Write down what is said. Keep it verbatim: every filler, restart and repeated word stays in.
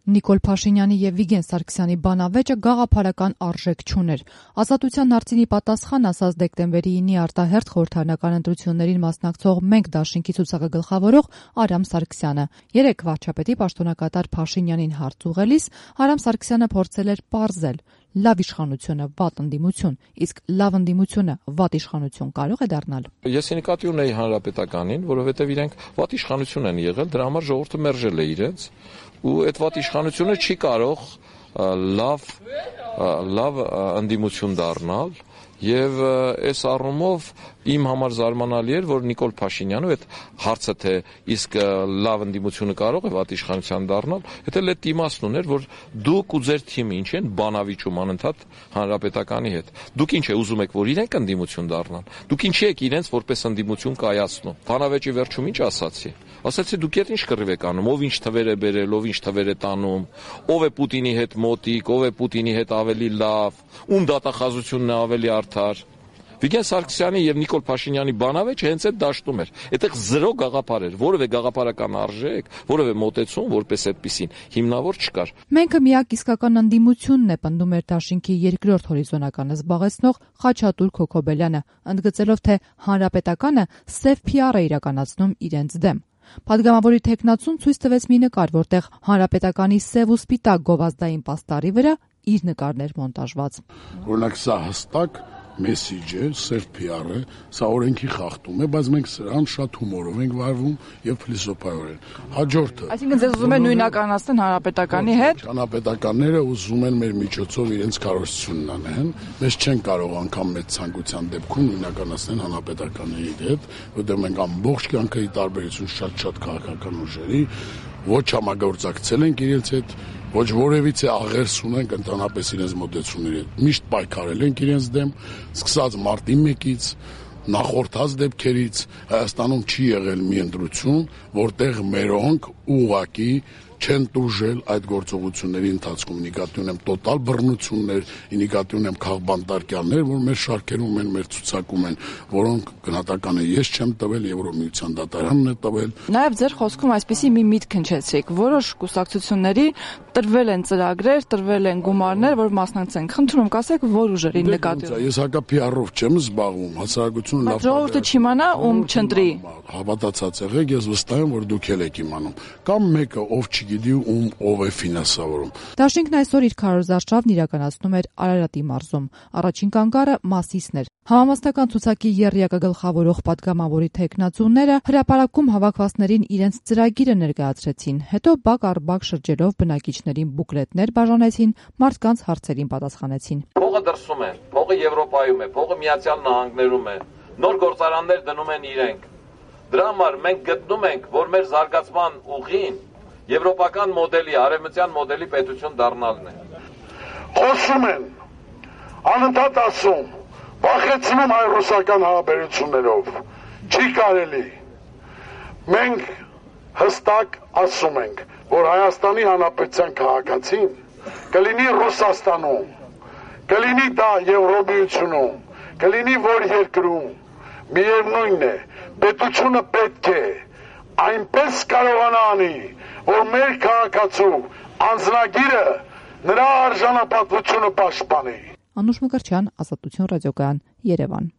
Նիկոլ Փաշինյանի եւ Վիգեն Սարգսյանի բանավեճը գաղափարական արժեք չուներ։ Ազատության հարցինի պատասխան ասաց դեկտեմբերի ինի արտահերթ խորհրդարանական ընտրություններին մասնակցող Մենք դաշինքի ցուցակը գլխավորող Արամ Սարգսյանը։ Երեք վարչապետի պաշտոնակատար Փաշինյանին հարց ուղղելիս Արամ Սարգսյանը փորձել էր պարզել. լավ իշխանությունը վատ ընդդիմություն, իսկ լավ ընդդիմությունը վատ իշխանություն կարող է դառնալ։ Ես նկատի ունեի հանրապետականին, որովհետև իրենք վատ իշխանություն են եղել, դրա համար ժողովուրդը մերժել է իրենց, ու այդ վատ իշխանությունը չի կարող լավ լավ ընդդիմություն դառնալ, եւ այս առումով իմ համար զարմանալի էր, որ Նիկոլ Փաշինյանը այդ հարցը թե իսկ լավ ընդդիմությունը կարող է վատ իշխանության դառնալ, դա էլ այդ իմաստն ուներ, որ դուք ու ձեր թիմը ինչ են բանավիճում անընդհատ հանրապետականի հետ։ Դուք ինչ է ուզում եք, որ իրենք ընդդիմություն դառնան։ Դուք ինչի եք իրենց որպես ընդդիմություն կայացնում։ Բանավեճի վերջում ինչ ասացի։ Ասացի դուք եք ինչ կռիվ եք անում, ով ինչ թվեր է բերել, ով ինչ թվեր է տանում, ով է Պուտինի հետ մոտիկ, ով է Պուտինի հետ ավելի լավ, ում դատախազությունն է ավելի արդար։ Վիգեն Սարգսյանի եւ Նիկոլ Փաշինյանի բանավեճը հենց այդ դաշտում էր։ Այդտեղ զրո գաղափար էր, որևէ գաղափարական արժեք, որևէ մոտեցում, որպես այդպեսին հիմնավոր չկար։ Մենքը միակ իսկական ընդդիմությունն է, պնդում էր դաշինքի երկրորդ հորիզոնականը զբաղեցնող Խաչատուր Քոքոբելյանը, ընդգծելով, թե հանրապետականը սև փի ար է իրականացնում իրենց դեմ։ Պատգամավորի թեկնածուն ցույց տվեց մի նկար, որտեղ հանրապետականի սև ու սպիտակ գովազդային պաստառի վրա իր նկարն էր մոնտաժված։ Օրինակ սա հստակ մեսիջ է, սև փի ար է, սա օրենքի խախտում է, բայց մենք սրան շատ հումորով ենք վարվում եւ փիլիսոփայորեն։ Հաջորդը։ Այսինքն ձեզ ուզում են նույնականացնել հանրապետականի հետ։ Հանրապետականները ուզում են մեր միջոցով իրենց կարողությունն անեն, մեզ չեն կարող անգամ մեծ ցանկության դեպքում նույնականացնել հանրապետականի հետ, որտեղ մենք ամբողջ կյանքի տարբերություն շատ-շատ քաղաքական ուժերի ոչ համագործակցել ենք իրենց հետ, ոչ որևիցե աղերս ունենք ընդհանրապես իրենց մոտեցումների հետ։ Միշտ պայքարել ենք իրենց դեմ, սկսած մարտի մեկից, նախորդած դեպքերից Հայաստանում չի եղել մի ընտրություն, որտեղ մերոնք ուղղակի չեն տուժել այդ գործողությունների ընթացքում։ Նկատի ունեմ տոտալ բռնություններ, նկատի ունեմ քաղբանտարկյաններ, որ մեր շարքերում են, մեր ցուցակում են, որոնք գնահատականը ես չեմ տվել, Եվրոմիության դատարանն է տվել։ Նաև ձեր խոսքում այսպիսի մի միտք հնչեցիք, որոշ կուսակցությունների տրվել են ծրագրեր, տրվել են գումարներ, որ մասնակցեն։ Խնդրում կասեք, որ ուժերի նկատի ունեք։ Ես հակա փի ար-ով չեմ զբաղվում, հասարակությունը լավ։ Ժողովուրդը չիմանա, ում չընտրի։ Հավատացած եղեք, ես վստահ եմ, որ դուք էլ եք իմանում։ Կամ մեկը ով գիտի ում ով է ֆինանսավորում։ Դաշինքն այսօր իր քարոզարշավն իրականացնում էր Արարատի մարզում։ Առաջին կանգառը Մասիսն էր։ Համամասնական ցուցակի եռյակը գլխավորող պատգամավորի թեկնածուները հրապարակում հավաքվածներին իրենց ծրագիրը ներկայացրեցին, հետո բակ առ բակ շրջելով բնակիչներին բուկլետներ բաժանեցին, մարդկանց հարցերին պատասխանեցին։ Փողը դրսում է, փողը Եվրոպայում է, փողը Միացյալ Նահանգներում է, նոր գործարաններ դնում են իրենք։ Դրա համար մենք գտնում ենք, որ մեր զարգացման ուղին եվրոպական մոդելի, արևմտյան մոդելի պետություն դառնալն է։ Խոսում են, անընդհատ ասում, վախեցնում հայ-ռուսական հարաբերություններով, չի կարելի։ Մենք հստակ ասում ենք, որ Հայաստանի Հանրապետության քաղաքացին կլինի Ռուսաստանում, կլինի դա Եվրոմիությունում, կլինի որ երկրում, միևնույնն է, պետությունը պետք է այնպես կարողանա անի, որ մեր քաղաքացու անձնագիրը նրա արժանապատվությունը պաշտպանի։ Անուշ Մկրտչյան, Ազատություն ռադիոկայան, Երևան։